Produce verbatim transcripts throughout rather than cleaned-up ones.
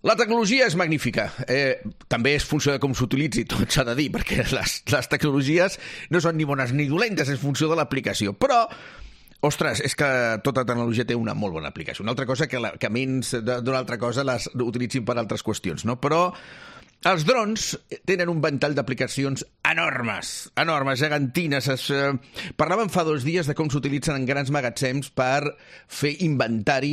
La tecnologia és magnífica. Eh, també és funció de com s'utilitzi, tot s'ha de dir, perquè les, les tecnologies no són ni bones ni dolentes, és funció de l'aplicació. Però, ostres, és que tota tecnologia té una molt bona aplicació. Una altra cosa que, la, que menys d'una altra cosa les utilitzin per altres qüestions, no? Però els drons tenen un ventall d'aplicacions enormes, enormes, gegantines. Es, eh, parlàvem fa dos dies de com s'utilitzen en grans magatzems per fer inventari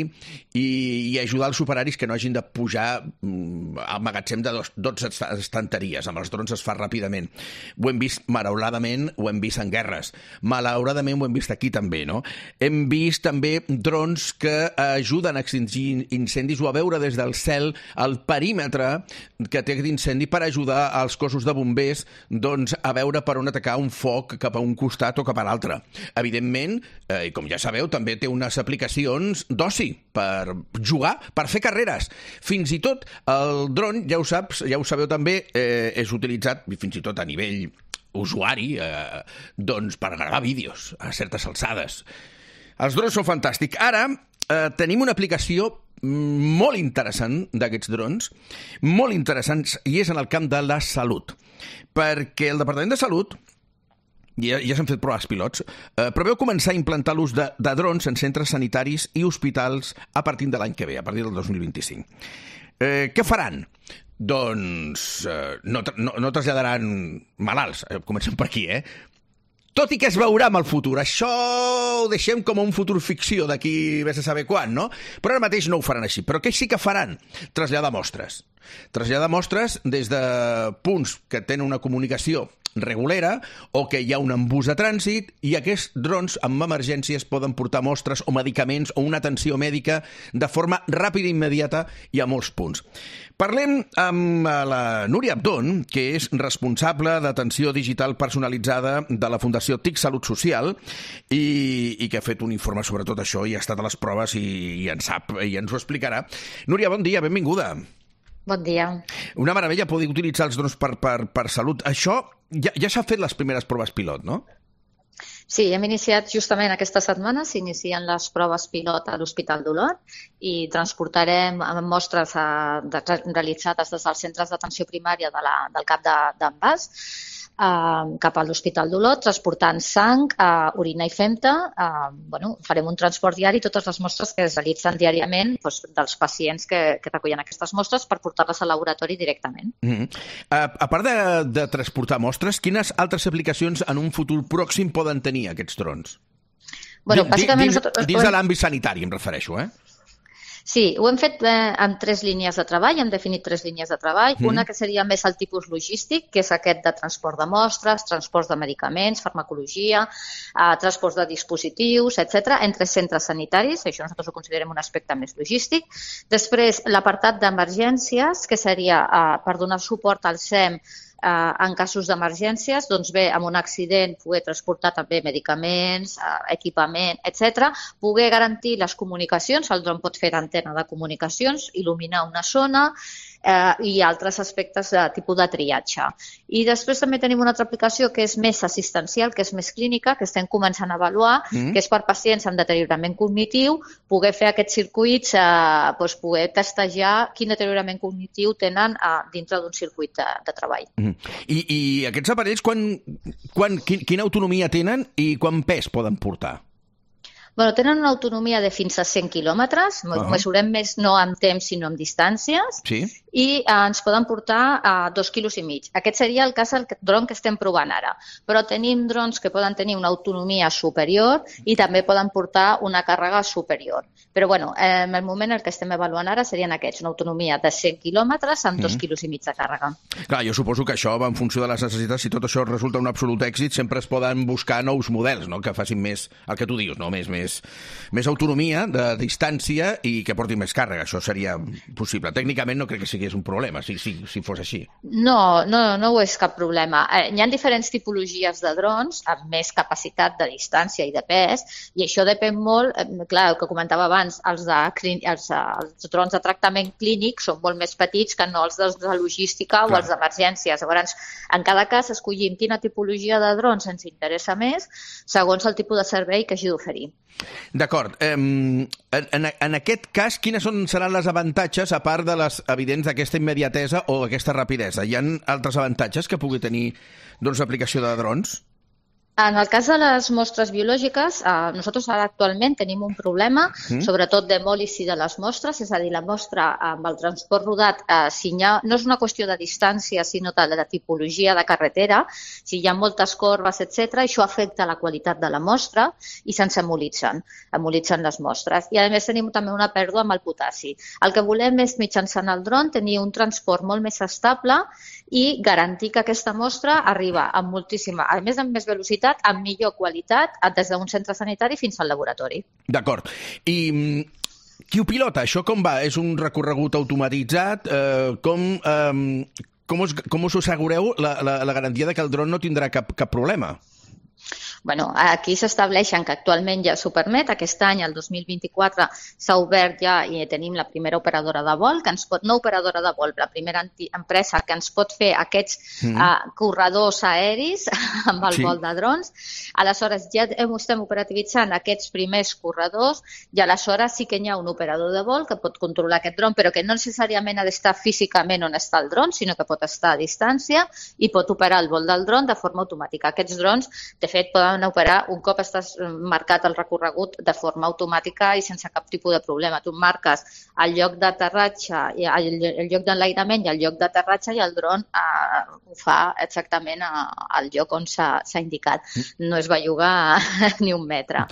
i, i ajudar els operaris que no hagin de pujar mm, al magatzem de dos, dotze estanteries. Amb els drons es fa ràpidament. Ho hem vist, malauradament, ho hem vist en guerres. Malauradament ho hem vist aquí també, no? Hem vist també drons que ajuden a extingir incendis o a veure des del cel el perímetre que té d'incendi per ajudar als cossos de bombers doncs, a veure per on atacar un foc cap a un costat o cap a l'altre. Evidentment, eh, i com ja sabeu, també té unes aplicacions d'oci per jugar, per fer carreres. Fins i tot el dron, ja ho saps, ja ho sabeu també, eh, és utilitzat fins i tot a nivell usuari eh, doncs per gravar vídeos a certes alçades. Els drons són fantàstics. Ara eh, tenim una aplicació molt interessant d'aquests drons, molt interessants, i és en el camp de la salut. Perquè el Departament de Salut, ja, ja s'han fet proves pilots, eh, preveu començar a implantar l'ús de, de drons en centres sanitaris i hospitals a partir de l'any que ve, a partir del dos mil vint-i-cinc. Eh, què faran? Doncs eh, no, no, no traslladaran malalts, eh, comencem per aquí, eh? Tot i que es veurà amb el futur. Això ho deixem com un futur ficció d'aquí vés a saber quan, no? Però ara mateix no ho faran així. Però què sí que faran? Traslladar mostres. Traslladar mostres des de punts que tenen una comunicació regulera o que hi ha un embús de trànsit i aquests drons amb emergències poden portar mostres o medicaments o una atenció mèdica de forma ràpida i immediata i a molts punts. Parlem amb la Núria Abdón, que és responsable d'atenció digital personalitzada de la Fundació T I C Salut Social i, i que ha fet un informe sobre tot això i ha estat a les proves i, i en sap i ens ho explicarà. Núria, bon dia, benvinguda. Bon dia. Una meravella poder utilitzar els drons per, per, per salut. Això ja, ja s'ha fet les primeres proves pilot, no? Sí, hem iniciat justament aquesta setmana, s'inicien les proves pilot a l'Hospital d'Olot i transportarem mostres a, de, realitzades des dels centres d'atenció primària de la, del cap d'en Bas eh, cap a l'Hospital d'Olot, transportant sang, eh, orina i femta. Eh, bueno, farem un transport diari, totes les mostres que es realitzen diàriament doncs, dels pacients que, que recullen aquestes mostres per portar-les al laboratori directament. Mm-hmm. a, a part de, de transportar mostres, quines altres aplicacions en un futur pròxim poden tenir aquests drons? Bueno, bàsicament... Dins, dins de l'àmbit sanitari, em refereixo, eh? Sí, ho hem fet eh, amb tres línies de treball, hem definit tres línies de treball. Mm. Una que seria més el tipus logístic, que és aquest de transport de mostres, transport de medicaments, farmacologia, eh, transport de dispositius, etcètera, entre centres sanitaris. Això nosaltres ho considerem un aspecte més logístic. Després, l'apartat d'emergències, que seria eh, per donar suport al S E M Eh, en casos d'emergències, doncs bé, amb un accident poder transportar també medicaments, eh, equipament, etcètera. Poder garantir les comunicacions, el dron pot fer d'antena de comunicacions, il·luminar una zona eh, i altres aspectes de tipus de triatge. I després també tenim una altra aplicació que és més assistencial, que és més clínica, que estem començant a avaluar, mm. que és per pacients amb deteriorament cognitiu, poder fer aquests circuits, eh, doncs poder testejar quin deteriorament cognitiu tenen eh, dintre d'un circuit de, de treball. Mm. I, I aquests aparells, quan, quan, quin, quina autonomia tenen i quant pes poden portar? Bueno, tenen una autonomia de fins a cent quilòmetres, uh-huh. mesurem més no en temps sinó en distàncies, sí. i eh, ens poden portar a eh, dos quilos i mig. Aquest seria el cas del dron que estem provant ara, però tenim drons que poden tenir una autonomia superior i també poden portar una càrrega superior. Però bueno, eh, en el moment el que estem avaluant ara serien aquests, una autonomia de cent quilòmetres amb dos uh-huh. quilos i mig de càrrega. Clar, jo suposo que això va en funció de les necessitats, si tot això resulta un absolut èxit, sempre es poden buscar nous models, no?, que facin més el que tu dius, no?, més, més més autonomia de distància i que porti més càrrega. Això seria possible. Tècnicament no crec que sigui un problema, si, si, si fos així. No, no, no ho és cap problema. Eh, hi ha diferents tipologies de drons amb més capacitat de distància i de pes, i això depèn molt, eh, clar, el que comentava abans, els, de, els, els drons de tractament clínic són molt més petits que no els de, de logística clar. O els d'emergències. Llavors, en cada cas escollim quina tipologia de drons ens interessa més segons el tipus de servei que hagi d'oferir. D'acord. En, en, en aquest cas, quines són, seran les avantatges, a part de les evidents d'aquesta immediatesa o aquesta rapidesa? Hi ha altres avantatges que pugui tenir doncs, l'aplicació de drons? En el cas de les mostres biològiques, eh, nosaltres ara actualment tenim un problema, mm. sobretot d'hemòlisi de les mostres, és a dir, la mostra amb el transport rodat, eh, si ha, no és una qüestió de distància, sinó de la tipologia de carretera, si hi ha moltes corbes, etcètera, això afecta la qualitat de la mostra i se'ns hemolitzen, hemolitzen les mostres. I a més tenim també una pèrdua amb el potassi. El que volem és, mitjançant el dron, tenir un transport molt més estable i garantir que aquesta mostra arriba amb moltíssima, a més amb més velocitat, amb millor qualitat, des d'un centre sanitari fins al laboratori. D'acord. I qui ho pilota? Això com va? És un recorregut automatitzat? Eh, com, eh, com, us, com us assegureu la, la, la garantia de que el dron no tindrà cap, cap problema? Bueno, aquí s'estableixen que actualment ja s'ho permet. Aquest any, el dos mil vint-i-quatre, s'ha obert ja i tenim la primera operadora de vol, que ens pot, no operadora de vol, la primera empresa que ens pot fer aquests mm. uh, corredors aeris amb el sí. vol de drons. Aleshores, ja estem operativitzant aquests primers corredors i aleshores sí que hi ha un operador de vol que pot controlar aquest dron, però que no necessàriament ha d'estar físicament on està el dron, sinó que pot estar a distància i pot operar el vol del dron de forma automàtica. Aquests drons, de fet, poden operar un cop estàs marcat el recorregut de forma automàtica i sense cap tipus de problema. Tu marques el lloc d'aterratge, el, el lloc d'enlairament i el lloc d'aterratge i el dron eh, ho fa exactament a, al lloc on s'ha indicat. No es va jugar ni un metre.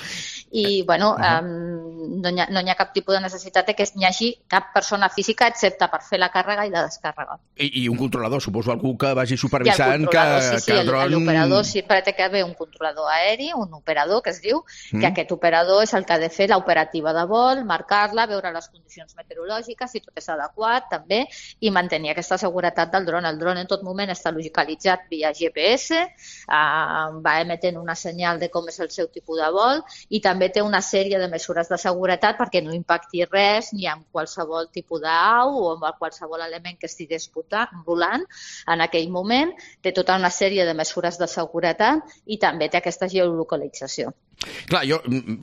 I, bueno, eh, no, hi ha, no hi ha cap tipus de necessitat de que hi hagi cap persona física excepte per fer la càrrega i la descàrrega. I, i un controlador, suposo, algú que vagi supervisant que, sí, sí, que el dron... L'operador sempre té que haver un controlador aeri, un operador que es diu, mm. que aquest operador és el que ha de fer l'operativa de vol, marcar-la, veure les condicions meteorològiques, si tot és adequat també, i mantenir aquesta seguretat del dron. El dron en tot moment està localitzat via G P S, eh, va emetent una senyal de com és el seu tipus de vol i també té una sèrie de mesures de seguretat perquè no impacti res ni amb qualsevol tipus d'au o amb qualsevol element que estigués volant en aquell moment. Té tota una sèrie de mesures de seguretat i també té aquesta geolocalització. Clar, jo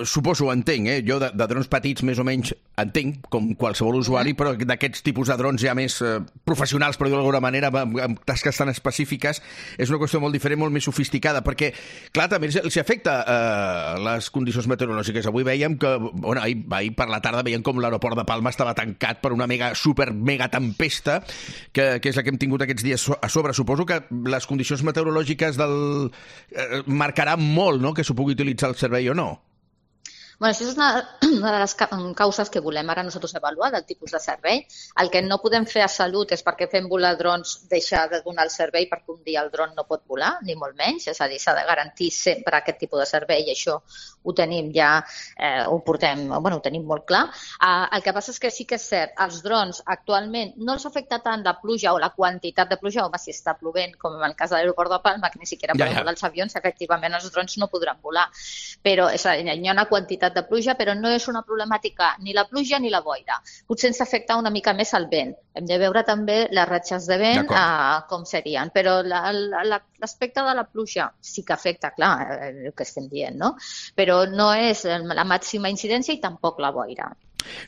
suposo, entenc, eh? Jo de, de drons petits més o menys entenc, com qualsevol usuari, però d'aquests tipus de drons ja més eh, professionals, per dir-ho d'alguna manera, amb, amb tasques tan específiques, és una qüestió molt diferent, molt més sofisticada, perquè, clar, també s'hi afecta eh, les condicions meteorològiques. Avui veiem que, bueno, ahir, ahir per la tarda veiem com l'aeroport de Palma estava tancat per una mega, super mega tempesta, que, que és la que hem tingut aquests dies a sobre. Suposo que les condicions meteorològiques del eh, marcaran molt, no?, que s'ho pugui utilitzar el servei o no. Bueno, això és una, una de les causes que volem ara nosaltres avaluar del tipus de servei. El que no podem fer a Salut és perquè fem volar drons deixar de donar el servei perquè un dia el dron no pot volar, ni molt menys. És a dir, s'ha de garantir sempre aquest tipus de servei i això ho tenim ja, eh, ho portem, bueno, ho tenim molt clar. Eh, el que passa és que sí que és cert, els drons actualment no els afecta tant la pluja o la quantitat de pluja, home, si està plovent, com en el cas de l'aeroport de Palma, que ni siquiera poden ja, ja. volar els avions, efectivament els drons no podran volar. Però és a dir, hi ha una quantitat de pluja, però no és una problemàtica ni la pluja ni la boira. Potser ens afecta una mica més el vent. Hem de veure també les ratxes de vent eh, com serien, però l'aspecte de la pluja sí que afecta, clar, el que estem dient, no? Però no és la màxima incidència i tampoc la boira.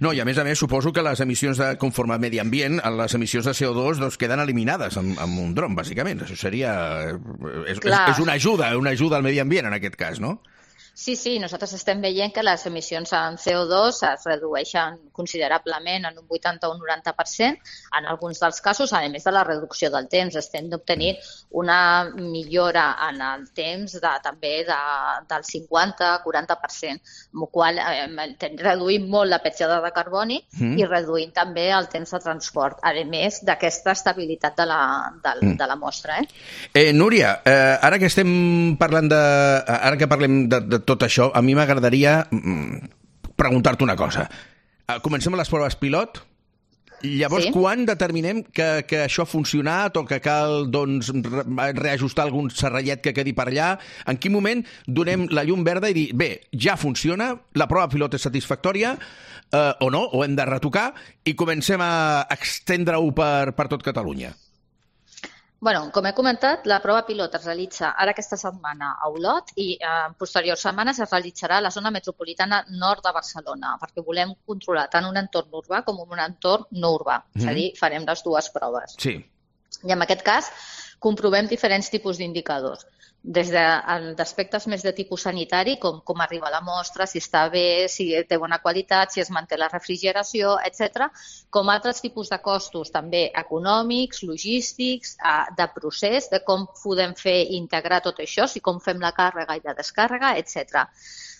No, i a més a més suposo que les emissions de conforme a medi ambient, les emissions de C O dos doncs, queden eliminades amb, amb un dron, bàsicament. Això seria... És, és, és una ajuda, una ajuda al medi ambient en aquest cas, no? Sí, sí, nosaltres estem veient que les emissions en C O dos es redueixen considerablement en un vuitanta o un noranta per cent. En alguns dels casos, a més de la reducció del temps, estem obtenint una millora en el temps de, també de, del cinquanta a quaranta per cent, amb el qual eh, reduïm molt la petjada de carboni mm. i reduïm també el temps de transport, a més d'aquesta estabilitat de la, de, mm. de la mostra. Eh? Eh, Núria, eh, ara que estem parlant de... Ara que parlem de, de tot això, a mi m'agradaria preguntar-te una cosa. Comencem a les proves pilot. Llavors, sí. Quan determinem que, que això ha funcionat o que cal doncs, reajustar algun serrallet que quedi per allà? En quin moment donem la llum verda i dir, bé, ja funciona, la prova pilot és satisfactòria, eh, o no, o hem de retocar, i comencem a extendre-ho per, per tot Catalunya? Bueno, com he comentat, la prova pilot es realitza ara aquesta setmana a Olot i en posteriors setmanes es realitzarà a la zona metropolitana nord de Barcelona, perquè volem controlar tant un entorn urbà com un entorn no urbà. Mm. És a dir, farem les dues proves. Sí. I en aquest cas comprovem diferents tipus d'indicadors. Des d'aspectes més de tipus sanitari, com com arriba la mostra, si està bé, si té bona qualitat, si es manté la refrigeració, etcètera, com altres tipus de costos també econòmics, logístics, de procés, de com podem fer integrar tot això, si com fem la càrrega i la descàrrega, etcètera.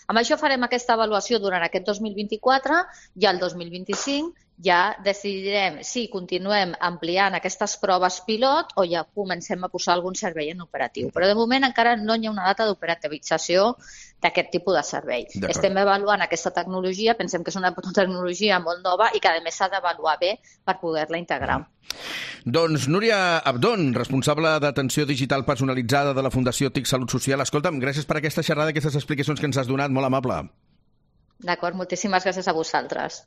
Amb això farem aquesta avaluació durant aquest dos mil vint-i-quatre i el dos mil vint-i-cinc ja decidirem si continuem ampliant aquestes proves pilot o ja comencem a posar algun servei en operatiu. Però de moment encara no hi ha una data d'operativització d'aquest tipus de servei. Estem avaluant aquesta tecnologia, pensem que és una tecnologia molt nova i que a més s'ha d'avaluar bé per poder-la integrar. Doncs Núria Abdón, responsable d'atenció digital personalitzada de la Fundació TIC Salut Social. Escolta'm, gràcies per aquesta xerrada, aquestes explicacions que ens has donat, molt amable. D'acord, moltíssimes gràcies a vosaltres.